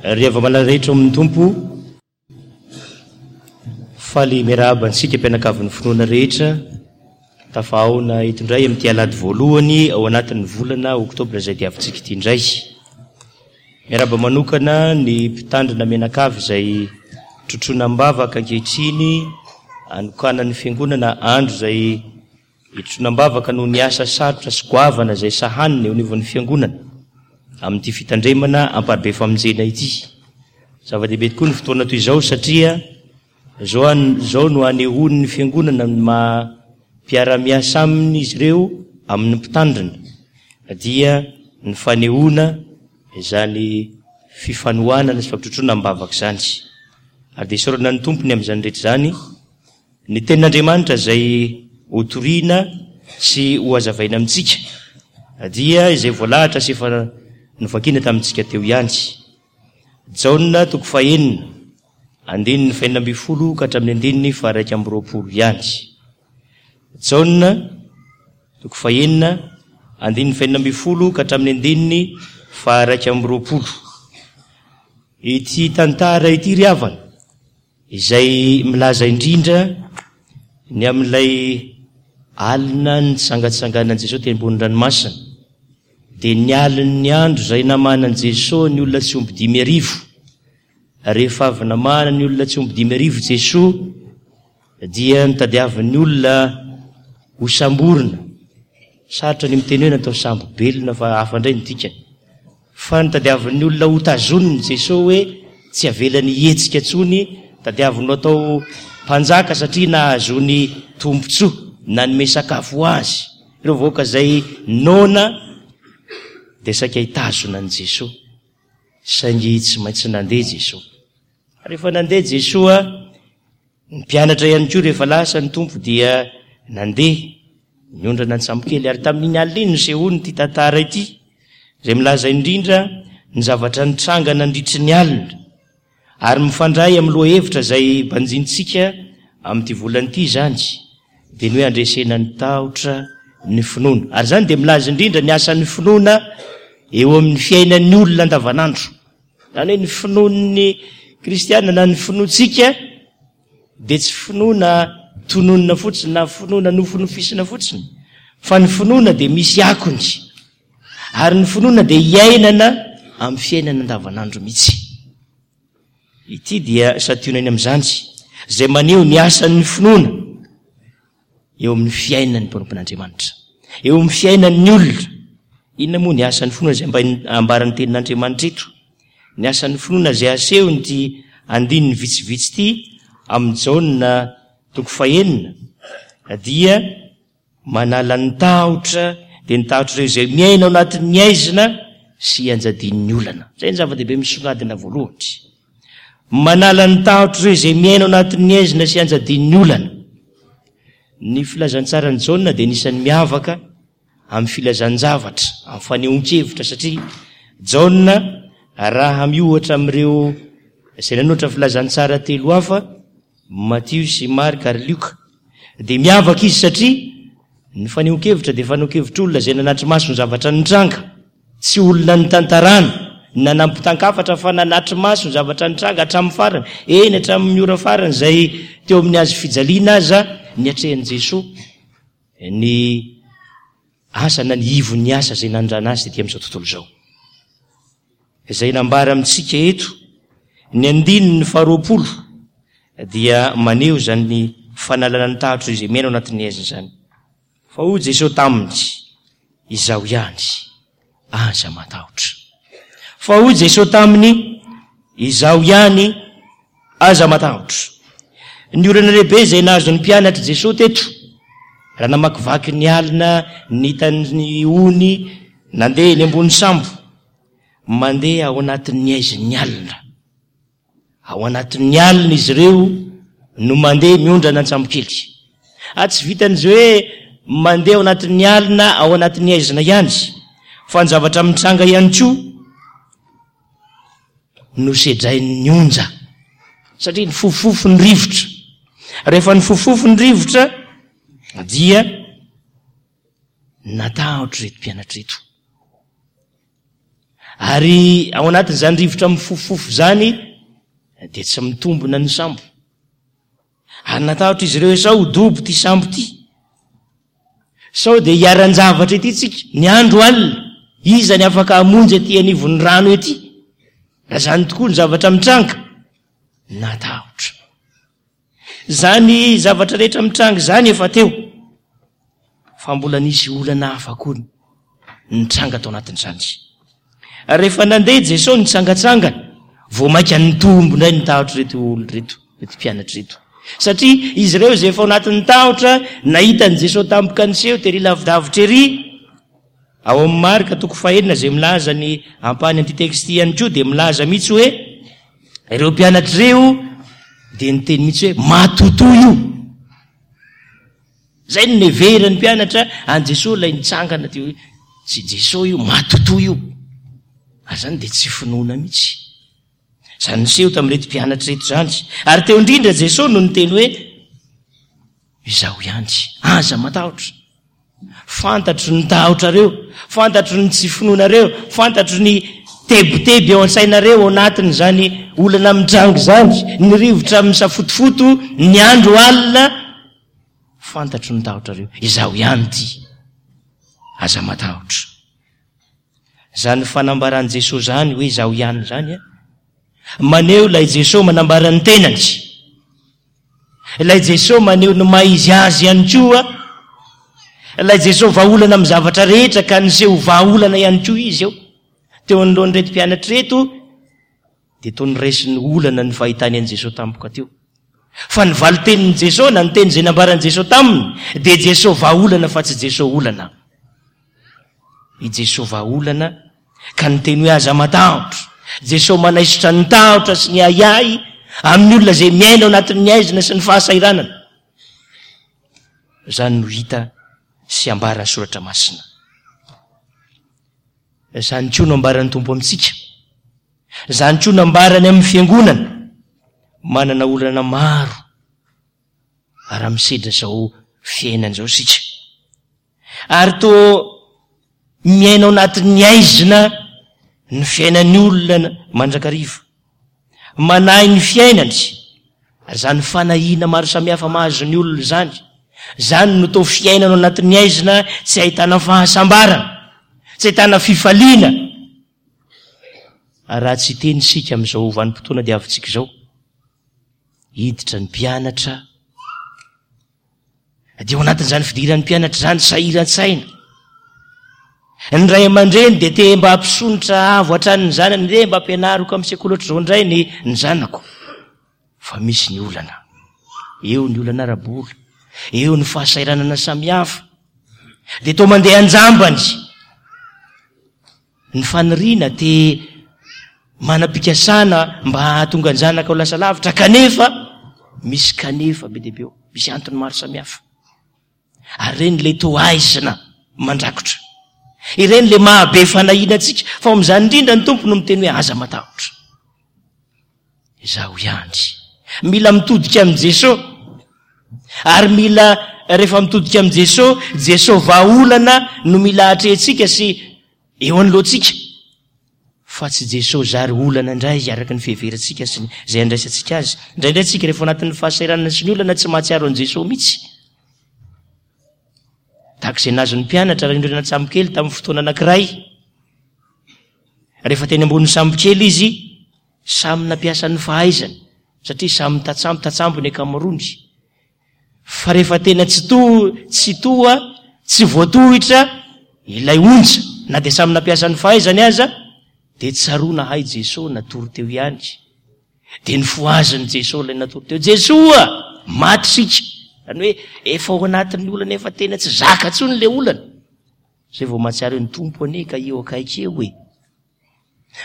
Ry hava-malala rehetra ao amin'ny Tompo, faly miarahaba antsika mpianakavin'ny finoana rehetra, tafahaona eto indray amin'ity alahady voalohany ao anatin'ny volana oktobra izay diavintsika ity indray. Miarahaba manokana ny mpitandrina mianakavy izay trotroina am-bavaka ankehitriny anokanan'ny fiangonana andro izay Hitroana am-bavaka noho ny asa sarotra sy goavana izay sahanina eo anivon'ny Fiangonana amin'ity fitandremana amparibe famonjena ity. Zava-dehibe tokoa ny fotoana toy izao satria izao izao no anehoan'ny Fiangonana ny maha mpiara-miasa aminy izy ireo amin'ny mpitandrina dia ny fanehoana izany fifanohanana sy fampitrotroana am-bavaka izany. Ary dia isaorana ny Tompo ny amin'izany rehetra izany. Ny Tenin'Andriamanitra izay hotorina sy hohazavaina amintsika dia izay voalahatra sy efa novakiana tamintsika teo ihany. Jaona toko fahenina, andininy fahenina ambinifolo ka hatramin'ny andininy faharaika amby roapolo ihany. Jaona toko fahenina, andininy fahenina ambinifolo ka hatramin'ny andininy faharaika amby roapolo. Ity tantara ity ry havana Izay milaza indrindra ny amin'ilay alina nitsangatsanganan'i Jesoa teny ambony ranomasina, dia ny alin'ny andro izay namahanan'i Jesoa ny olona tsy omby 5000. Rehefa avy namahana ny olona tsy omby 5000 Jesoa, dia notadiavin'ny olona hosamborina. Sarotra ny miteny hoe natao sambo-belona fa hafa indray ny dikany. Fa notadiavin'ny olona ho tazoniny Jesoa hoe tsy avelany hihetsika intsony, tadiaviny ho atao mpanjaka satria nahazoany tombontsoa, nanome sakafo ho azy. Ireo vahoaka izay noana dia saika hitazona an'i Jesoa, saingy tsy maintsy nandeha Jesoa. Rehefa nandeha Jesoa, Ny mpianatra ihany koa rehefa lasa ny Tompo dia nandeha niondrana an-tsambokely ary tamin'iny alina iny nisehoany ity tantara ity izay milaza indrindra ny zavatra nitranga nandritry ny alina ary mifandray amin'ny lohahevitra izay banjintsika amin'ity volana ity izany dia ny hoe handresena ny tahotra ny finoana ary izany dia milaza indrindra ny asan'ny finoana eo amin'ny fiainan'ny olona andavanandro. Izany hoe ny finoan'ny kristiana na ny finoantsika dia tsy finoana tononina fotsiny na finoana nofinofisina fotsiny fa ny finoana dia misy akony ary ny finoana dia iainana amin'ny fiainana andavanandro mihitsy. Ity dia santionany amin'izany izay maneho ny asan'ny finoana. eo amin'ny fiainan'ny mpanompon'Andriamanitra, eo amin'ny fiainan'ny olona. Inona moa ny asan'ny finoana izay ambaran'ny tenin'Andriamanitra eto? Ny asan'ny finoana izay asehon'ity andininy vitsivitsy ity amin'ny Jaona toko fahenina dia manala ny tahotra, dia ny tahotr'ireo izay miaina ao anatin'ny haizina sy ianjadian'ny olana. Izay ny zava-dehibe misongadina voalohany. Manala ny tahotr'ireo izay miaina ao anatin'ny haizina sy anjadian'ny olana. Ny filazantsaran'i Jaona dia anisan'ny miavaka amin'ny filazan-javatra, amin'ny fanehoan-kevitra, satria Jaona raha miohatra amin'ireo izay nanoratra filazantsara telo hafa, Matio sy Marka ary Lioka, dia miavaka izy satria ny fanehoan-kevitra dia fanehoan-kevitr'olona izay nanatri-maso ny zavatra nitranga. Tsy olona nitantarana na nampitan-kafatra fa nanatri-maso ny zavatra nitranga hatramin'ny farany, eny hatramin'ny ora farany izay teo amin'ny hazo fijaliana aza niatrehan'i Jesoa ny asa na ny ivon'ny asa izay nanondrana azy tety amin'izao tontolo izao. Izay nambara amintsika eto, ny andininy faharoapolo dia maneho izany fanalana ny tahotra izay miaina ao anatin'ny haizina izany. Fa hoy Jesoa taminy, Izaho ihany, aza matahotra. Fa hoy Jesoa taminy, Izaho ihany, aza matahotra. Ny olana lehibe izay nahazo ny mpianatr'i Jesoa teto, raha namakivaky ny alina nitan'ny ony nandeha eny ambony sambo, mandeha ao anatin'ny haizin'ny alina. Ao anatin'ny alina izy ireo no mandeha miondrana an-tsambokely. Ary tsy vitan'izy hoe mandeha ao anatin'ny alina ao anatin'ny haizina ihany, fa ny zavatra mitranga ihany koa nosedrain'ny onja. Satria nifofofofo ny rivotra. Rehefa nifofofofo ny rivotra dia natahotra ireto mpianatra ireto. Ary ao anatin'izany rivotra mifofofofo izany dia tsy mitombina ny sambo. Ary natahotra izy ireo hoe sao ho dobo ity sambo ity. Sao dia hiharan-javatra ety tsika, ny andro alina, iza ny afaka hamonjy aty anivon'ny rano ety? Raha izany tokoa ny zavatra mitranga, natahotra. Izany zavatra rehetra mitranga izany efa teo, fa mbola nisy olana hafa koa nitranga tao anatin'izany. Rehefa nandeha Jesosy nitsangatsangana, vao mainka nitombo indray ny tahotr'ireto olona ireto, ireto mpianatra ireto. Satria izy ireo izay efa ao anatin'ny tahotra, nahita an'i Jesosy tampoka niseho tery lavidavitra ery, ao amin'ny Marka toko fahenina izay milaza ny ampahany amin'ity texte ity ihany koa dia milaza mihitsy hoe ireo mpianatra ireo dia niteny mihitsy hoe matotoa io. Izay no neverin'ny mpianatra an'i Jesoa ilay nitsangana teo hoe tsy Jesoa io, matotoa io. Ary izany dia tsy finoana mihitsy. Izany niseho tamin'ireto mpianatra ireto izany. Ary teo indrindra Jesoa no niteny hoe Izaho ihany, aza matahotra. Fantatro ny tahotrareo, fantatro ny tsy finoanareo, fantatro ny tebiteby ao an-tsainareo ao anatin'izany olana mitranga izany, ny rivotra misafotofoto, ny andro alina. Fantatro ny tahotrareo, izaho ihany ity. Aza matahotra. Izany fanambaran'i Jesoa izany hoe izaho ihany izany, maneho ilay Jesoa manambara ny tenany. Ilay Jesoa maneho ny maha izy azy ihany koa. Ilay Jesoa vahaolana amin'ny zavatra rehetra ka niseho vahaolana ihany koa izy eo. Teo anoloan'ireto mpianatra ireto dia toa noraisiny olana ny fahitany an'i Jesoa tampoka teo. Fa ny valin-tenin'i Jesoa na ny teny izay nambaran'i Jesoa taminy dia Jesoa vahaolana fa tsy Jesoa olana. I Jesoa vahaolana ka niteny hoe aza matahotra. Jesoa manaisotra ny tahotra sy ny ahiahy amin'ny olona izay miaina ao anatin'ny haizina sy ny fahasahiranana. Izany no hita sy ambaran'ny Soratra Masina. Izany koa no ambaran'ny Tompo amintsika. Izany koa no ambarany amin'ny fiangonana. Manana olana maro raha misedra izao fiainana izao isika. Ary toa miaina ao anatin'ny haizina ny fiainan'ny olona mandrakariva. Manahy ny fiainany, ary izany fanahiana maro samihafa mahazo ny olona izany, izany no toa fiainana ao anatin'ny haizina tsy ahitana fahasambarana, tsy ahitana fifaliana. Ary raha tsy hiteny isika amin'izao vanim-potoana diavintsika izao, hiditra ny mpianatra, Dia ao anatin'izany fidiran'ny mpianatra izany, sahiran-tsaina. Ny ray aman-dreny dia te mba hampisonitra avo hatrany ny zanany, re mba ampianariko amin'ny sekoly ohatr'izao indray ny ny zanako. Fa misy ny olana. Eo ny olana ara-bola, eo ny fahasahiranana samihafa. Dia toa mandeha an-jambany. Ny faniriana te manam-pikasana mba hahatonga ny zanaka ho lasa lavitra kanefa misy kanefa be dia be eo, misy antony maro samihafa. Ary ireny ilay toa aizina mandrakotra. Ireny ilay mahabe fanahiana antsika. Fa ao amin'izany indrindra ny Tompo no miteny hoe aza matahotra. Izaho ihany. Mila mitodika amin'i Jesoa. Ary mila rehefa mitodika amin'i Jesoa, Jesoa vahaolana no mila atrehintsika sy eo anoloantsika. Fa tsy Jesoa zary olana indray araka ny fiheverantsika sy izay andraisantsika azy. Indraindray tsika rehefa anatin'ny fahasahiranana sy ny olana tsy mahatsiaro an'i Jesoa mihitsy. Tahaka izay nahazo ny mpianatra raha nirona an-tsambokely tamin'ny fotoana anankiray. Rehefa teny ambonin'ny sambokely izy, Samy nampiasa ny fahaizany satria samy tatsambo tatsambo ny ankamaroany. Fa rehefa tena tsy to tsy toa tsy voatohitra ilay onja na dia samy nampiasa ny fahaizany aza dia tsaroana hay Jesoa natory teo ihany. Dia nofohazin'i Jesoa ilay natory teo. Jesoa! Maty isika. Izany hoe efa ao anatin'ny olana efa tena tsy zaka intsony ilay olana. Izay vao mahatsiaro hoe ny Tompo anie ka eo akaiky eo e.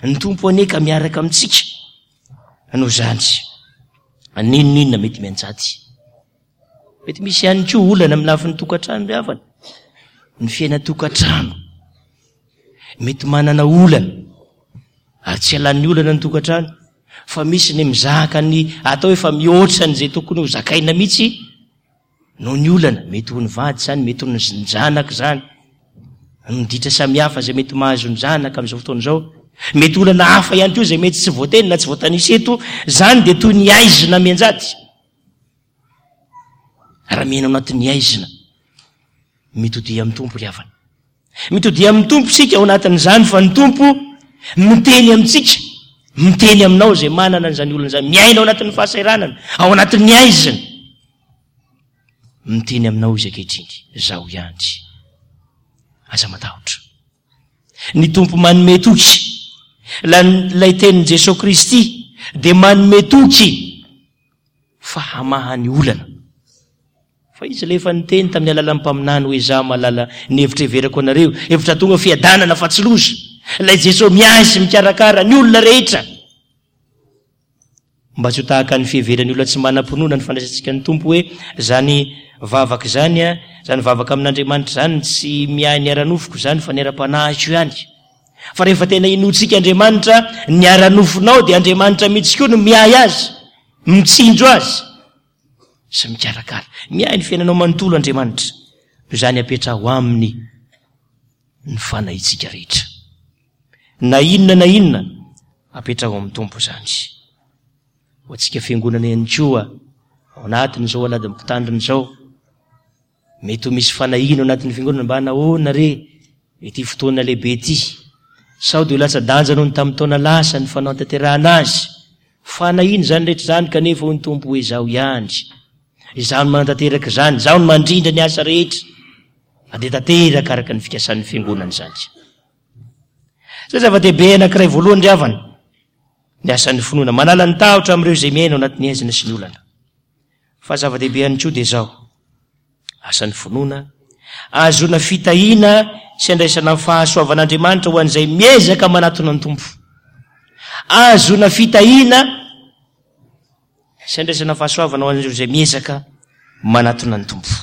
Ny Tompo anie ka miaraka amintsika. Noho izany, n'inon'inona mety mianjady. Mety misy ihany koa olana amin'ny lafiny tokantrano ry havana. Ny fiainan-tokantrano. Mety manana olana. Ary tsy alan'ny olana ny tokantrano. Fa misy ny mizaka ny atao efa mihoatra an'izay tokony ho zakaina mihitsy. Noho ny olana, mety ho ny vady izany, mety ho ny zanaka izany, ny ditra samihafa izay mety mahazo ny zanaka amin'izao fotoana izao. Mety olana hafa ihany koa izay mety tsy voateny na tsy voatanisa eto, izany dia toy ny haizina mianjady. Raha miaina ao anatin'ny haizina, mitodiha amin'ny Tompo ry havana. Mitodiha amin'ny Tompo isika ao anatin'izany fa ny Tompo miteny amintsika, miteny aminao izay manana an'izany olana izany, miaina ao anatin'ny fahasahiranana, ao anatin'ny haizina. Miteny aminao Izy ankehitriny, Izaho ihany. Aza matahotra. Ny Tompo manome toky. Ilay tenin'i Jesoa Kristy dia manome toky fa hamaha ny olana. Fa Izy ilay efa niteny tamin'ny alalan'ny mpaminany hoe, Izaho mahalala ny hevitra heverako anareo, hevitra hahatonga fiadanana fa tsy loza. Ilay Jesoa miahy sy mikarakara ny olona rehetra. Mba tsy ho tahaka ny fiheveran'ny olona tsy manam-pinoana ny fandraisantsika ny Tompo hoe, Izany vavaka izany, izany vavaka amin'Andriamanitra izany tsy miahy ny ara-nofoko izany fa ny ara-panahiko ihany. Fa rehefa tena inoantsika Andriamanitra, ny ara-nofonao dia Andriamanitra mihitsy koa no miahy azy, mitsinjo azy sy mikarakara. Miahy ny fiainanao manontolo Andriamanitra. Noho izany apetraho Aminy ny fanahintsika rehetra. Na inona na inona, apetraho amin'ny Tompo izany. Ho antsika fiangonana ihany koa, ao anatin'izao alahadin'ny mpitandrina izao, mety ho misy fanahiana ao anatin'ny fiangonana mba nahoana re ity fotoana lehibe ity? Sao dia ho latsa-danja noho ny tamin'ny taona lasa ny fanatanterahana azy? Fanahiana izany rehetra izany kanefa hoy ny Tompo hoe izaho ihany. Izaho no manatanteraka izany, izaho no mandrindra ny asa rehetra. Ary dia tanteraka araka ny fikasan'ny fiangonana izany. Izay zava-dehibe anankiray voalohany ry havana, ny asan'ny finoana. Manala ny tahotra amin'ireo izay miaina ao anatin'ny haizina sy ny olana. Fa zava-dehibe ihany koa dia izao, asan'ny finoana, ahazoana fitahiana sy andraisana ny fahasoavan'Andriamanitra ho an'izay miezaka manatona ny Tompo. Ahazoana fitahiana sy andraisana fahasoavana ho an'ireo izay miezaka manatona ny Tompo.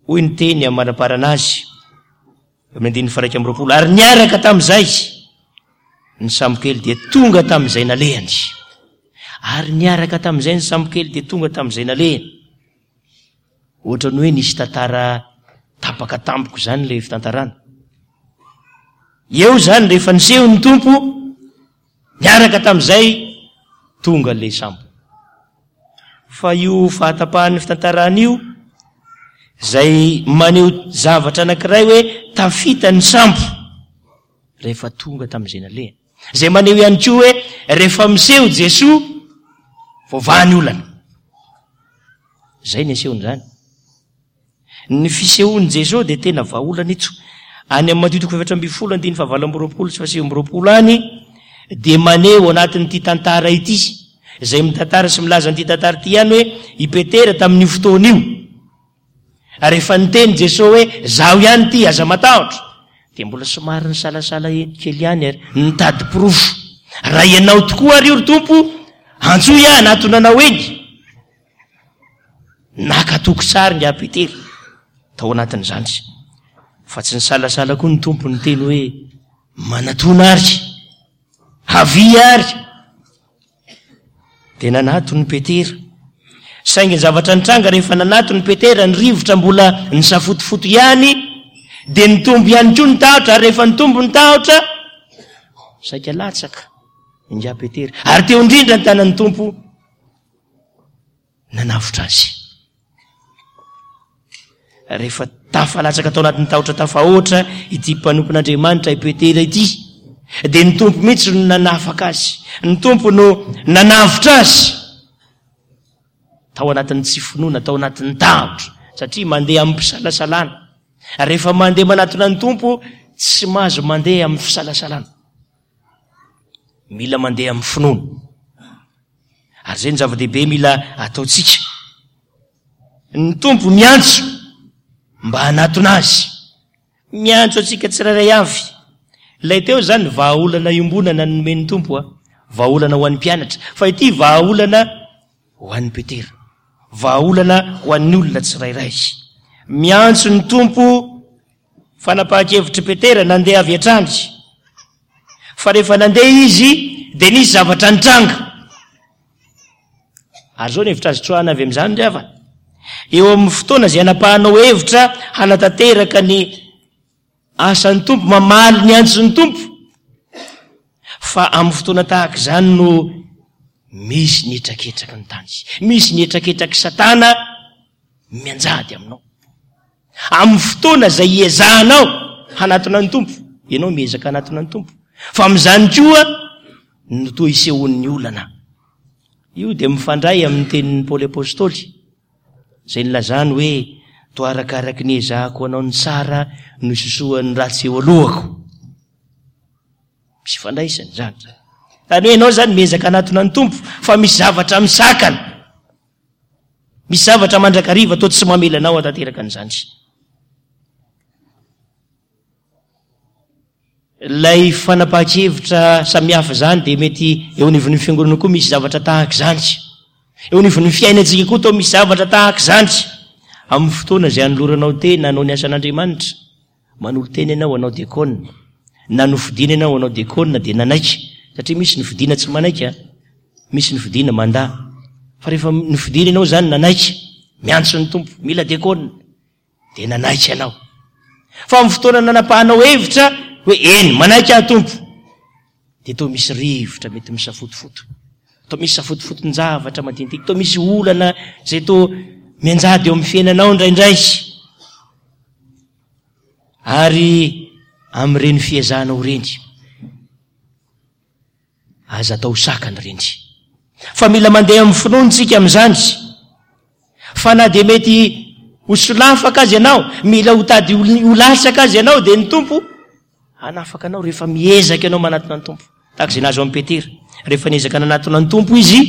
Hoy ny teny amaraparana azy, eo amin'ny andininy faha-21, Ary niaraka tamin'izay ny sambokely dia tonga tamin'izay nalehany. Ary niaraka tamin'izay ny sambokely dia tonga tamin'izay nalehany. Ohatran'ny hoe nisy tantara tapaka tampoka izany ilay fitantarana. Eo izany rehefa niseho ny Tompo, Niaraka tamin'izay, tonga ilay sambo. Fa io fahatapahan'ny fitantarana io, izay maneho zavatra anankiray hoe tafita ny sambo rehefa tonga tamin'izay nalehany. Izay maneho ihany koa hoe rehefa miseho Jesoa, voavaha ny olana. Izay ny asehon'izany. Ny fisehoan'i Jesoa dia tena vahaolana eto. Any amin'ny Matio toko 14 andininy fahavalo amby 20 sy fahasivy amby 20 any dia maneho anatin'ity tantara ity, izay mitantara sy milaza an'ity tantara ity ihany hoe i Petera tamin'io fotoana io. Ary rehefa niteny Jesoa hoe zaho ihany ity, aza matahotra, dia mbola somary nisalasala kely ihany ary nitady porofo. Raha ianao tokoa ary io ry Tompo, antsoy aho hanatona anao eny. Naka toky tsara ingahy Petera tao anatin'izany. Fa tsy nisalasala koa ny Tompo niteny hoe, Manatona ary! Havia ary! Dia nanatona i Petera. Saingy ny zavatra nitranga rehefa nanatona i Petera, ny rivotra mbola nisafotofoto ihany, dia nitombo ihany koa ny tahotra, ary rehefa nitombo ny tahotra, saika latsaka ingahy Petera. Ary teo indrindra ny tanan'ny Tompo nanavotra azy. Rehefa tafalatsaka tao anatin'ny tahotra tafahoatra ity mpanompon'Andriamanitra i Petera ity, dia ny Tompo mihitsy no nanafaka azy. Ny Tompo no nanavotra azy tao anatin'ny tsy finoana, tao anatin'ny tahotra, satria mandeha amin'ny fisalasalana. Rehefa mandeha manatona ny Tompo, tsy mahazo mandeha amin'ny fisalasalana. Mila mandeha amin'ny finoana. Ary izay no zava-dehibe mila ataontsika. Ny Tompo miantso mba hanatona Azy. Miantso antsika tsirairay avy. Ilay teo izany vahaolana iombonana nomen'ny Tompo a. Vahaolana ho an'ny mpianatra. Fa ity vahaolana ho an'i Petera. Vahaolana ho an'ny olona tsirairay. Miantso ny Tompo fanapahan-kevitr'i Petera nandeha avy hatrany. Fa rehefa nandeha izy dia nisy zavatra nitranga. Ary izao ny hevitra azo tsoahana avy amin'izany ry havana. Eo amin'ny fotoana izay anapahanao hevitra hanatanteraka ny. asan'ny Tompo, mamaly ny antson'ny Tompo. Fa amin'ny fotoana tahaka izany no misy ny hetraketraky ny tany, misy ny hetraketraky Satana mianjady aminao. Amin'ny fotoana izay hiezahanao hanatona ny Tompo, ianao miezaka hanatona ny Tompo. Fa amin'izany koa no toa isehoan'ny olana. Io dia mifandray amin'ny tenin'i Paoly Apostoly, izay nilazany hoe, Toa arakaraky ny ezahako hanao ny tsara no isosohan'ny ratsy eo alohako. Misy ifandraisany izany. Izany hoe ianao izany miezaka hanatona ny Tompo, fa misy zavatra misakana. Misy zavatra mandrakariva toa tsy mamela anao hatanteraka an'izany. Ilay fanapahan-kevitra samihafa izany dia mety eo anivon'ny fiangonana koa misy zavatra tahaka izany. Eo anivon'ny fiainantsika koa toa misy zavatra tahaka izany. Amin'ny fotoana izay anoloranao tena hanao ny asan'Andriamanitra, manolo-tena ianao hanao diakona, na nofidina ianao hanao diakona dia nanaiky, satria misy ny fidina tsy manaiky an, misy ny fidina mandà. Fa rehefa nofidina ianao izany nanaiky, miantso ny Tompo, mila diakona, Dia nanaiky ianao. Fa amin'ny fotoana nanapahanao hevitra hoe eny, manaiky aho Tompo, dia toa misy rivotra mety misafotofoto. Toa misy safotofoton-javatra madinidinika, toa misy olana izay toa mianjady eo amin'ny fiainanao indraindray. Ary amin'ireny fiezahanao ireny, Aza atao sakana ireny. Fa mila mandeha amin'ny finoana isika amin'izany. Fa na dia mety ho solafaka aza ianao, mila ho tady ho latsaka aza ianao, dia ny Tompo hanafaka anao rehefa miezaka ianao manatona ny Tompo. Tahaka izay nahazo an'i Petera. Rehefa niezaka nanatona ny Tompo izy,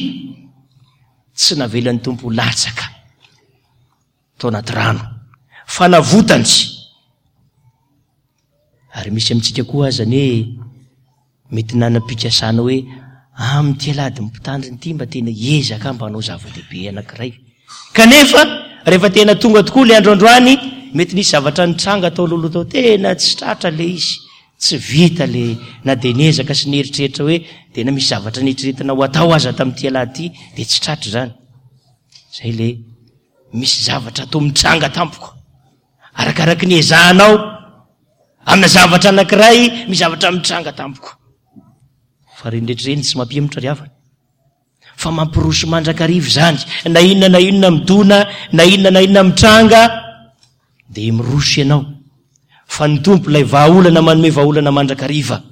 tsy navelan'ny Tompo ho latsaka tao anaty rano. Fanavotany. Ary misy amintsika koa aza anie mety nanam-pikasana hoe amin'ity alahady mpitandrina ity mba tena hiezaka aho mba hanao zava-dehibe anankiray. Kanefa rehefa tena tonga tokoa ilay andro androany, mety nisy zavatra nitranga tao alohaloha tao, tena tsy tratra ilay izy, tsy vita ilay na dia niezaka sy nieritreritra hoe tena misy zavatra nieritreretina ho atao aza tamin'ity alahady ity dia tsy tratra izany. Izay ilay misy zavatra atao mitranga tampoka. Arakaraky ny ezahanao amina zavatra anankiray, misy zavatra mitranga tampoka. Fa ireny rehetra ireny tsy mampihemotra ry havana. Fa mampiroso mandrakariva izany. Na inona na inona midona, na inona na inona mitranga, dia miroso ianao. Fa ny Tompo ilay vahaolana manome vahaolana mandrakariva.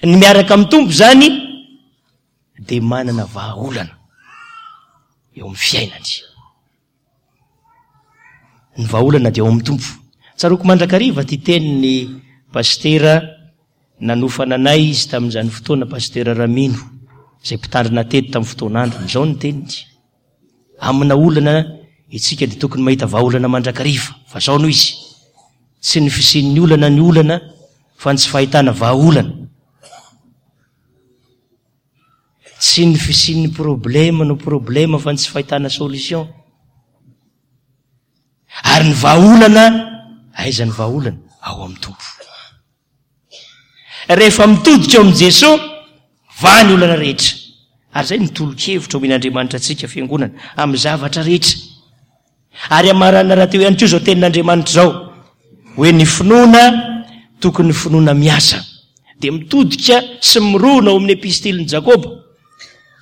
Ny miaraka amin'ny Tompo izany dia manana vahaolana eo amin'ny fiainany. Ny vahaolana dia ao amin'ny Tompo. Tsaroako mandrakariva ity tenin'ny pasitera nanofana anay izy tamin'izany fotoana, pasitera Ramino, izay mpitandrina teto tamin'ny fotoan'androny. Izao ny teniny, Amina olana isika dia tokony mahita vahaolana mandrakariva. Fa izao no izy, tsy ny fisian'ny olana ny olana fa ny tsy fahitana vahaolana. Tsy ny fisian'ny problème no problème fa ny tsy fahitana solution. Ary ny vahaolana, aiza ny vahaolana? Ao amin'ny Tompo. Rehefa mitodika ao amin'i Jesoa, vaha ny olana rehetra. Ary izay no tolo-kevitra omen'Andriamanitra antsika fiangonana, amin'ny zavatra rehetra. Ary hamarana rahateo ihany koa izao tenin'Andriamanitra izao, hoe ny finoana tokony finoana miasa. Dia mitodika sy mirona ao amin'ny epistilin'i Jakoba,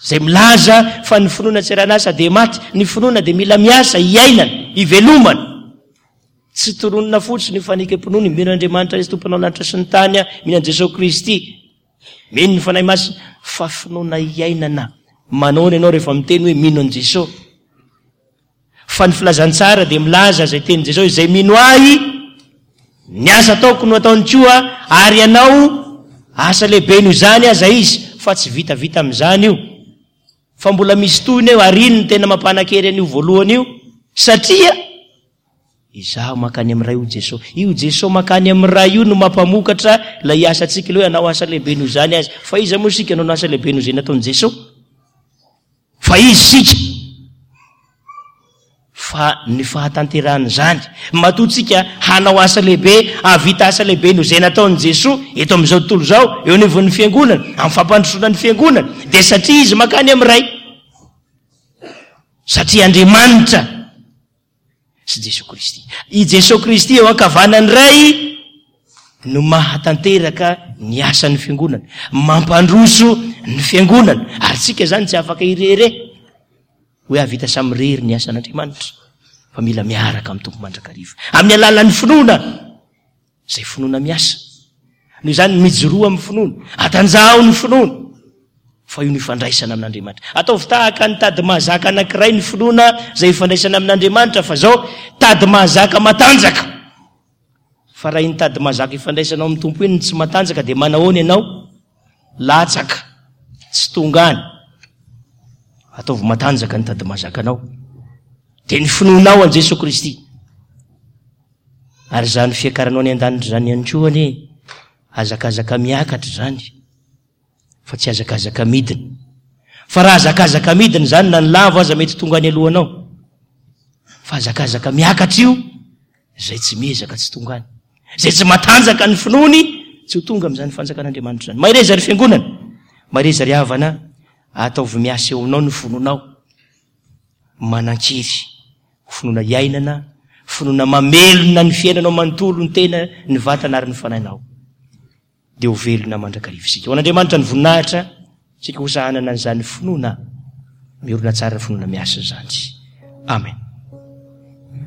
izay milaza fa ny finoana tsy aran'asa dia maty. Ny finoana dia mila miasa, iainana, ivelomana. Tsy tononina fotsiny io fanekem-pinoana io, mino an'Andriamanitra Izy Tomponao lanitra sy ny tany aho, mino an'i Jesoa Kristy, mino ny Fanahy Masina, fa finoana iainana. Manaona ianao rehefa miteny hoe mino an'i Jesoa? Fa ny filazantsara dia milaza izay tenin'i Jesosy, izay mino Ahy, ny asa ataoko no ataony koa, ary hanao asa lehibe noho izany aza izy, fa tsy vitavita amin'izany io, fa mbola misy tohiny eo, ary iny no tena mampanan-kery an'io voalohany io, satria Izaho mankany amin'ny Ray hoy Jesosy. Io Jesosy mankany amin'ny Ray io no mampamokatra ilay asantsika, ilay hoe hanao asa lehibe noho izany aza. Fa iza moa isika no hanao asa lehibe noho izay nataon'i Jesosy? Fa izy isika. Fa ny fahatanterahan'izany, matoa tsika hanao asa lehibe, hahavita asa lehibe noho izay nataon'i Jesoa eto amin'izao tontolo izao, eo anivon'ny Fiangonana, amin'ny fampandrosoana ny Fiangonana, dia satria Izy mankany amin'ny Ray. Satria Andriamanitra sy Jesoa Kristy. I Jesoa Kristy eo ankavanan'ny Ray. no mahatanteraka ny asan'ny fiangonana, mampandroso ny fiangonana. Ary tsika izany tsy afaka irery hoe hahavita samirery ny asan'Andriamanitra, fa mila miaraka amin'ny Tompo mandrakariva. Amin'ny alalan'ny finoana, izay finoana miasa. Noho izany, mijoroa amin'ny finoana, atanjaho ny finoana, fa io no ifandraisana amin'Andriamanitra. Ataovy tahaka ny tady mahazaka anankiray ny finoana izay ifandraisana amin'Andriamanitra, fa izao, tady mahazaka matanjaka. Fa raha iny tady mahazaka ifandraisanao amin'ny Tompo iny no tsy matanjaka dia manahoana ianao? Latsaka, tsy tonga any. Ataovy matanjaka ny tady mahazakanao. Dia ny finoanao an'i Jesoa Kristy. Ary izany fiakaranao any an-danitra izany ihany koa anie, hazakazaka miakatra izany. fa tsy hazakazaka midina. Fa raha hazakazaka midina izany na ny lavo aza mety tonga any alohanao. Fa hazakazaka miakatra io, izay tsy miezaka tsy tonga any. Izay tsy matanjaka ny finoany tsy ho tonga amin'izany fanjakan'Andriamanitra izany. Mahereza ry fiangonana, mahereza ry havana, ataovy miasa eo aminao ny finoanao. Manan-kery, finoana iainana, finoana mamelona ny fiainanao manontolo, ny tena, ny vatana ary ny fanahinao. dia ho velona mandrakariva isika. Ho an'Andriamanitra ny voninahitra, isika kosa hanana an'izany finoana miorina tsara, finoana miasa izany. Amen.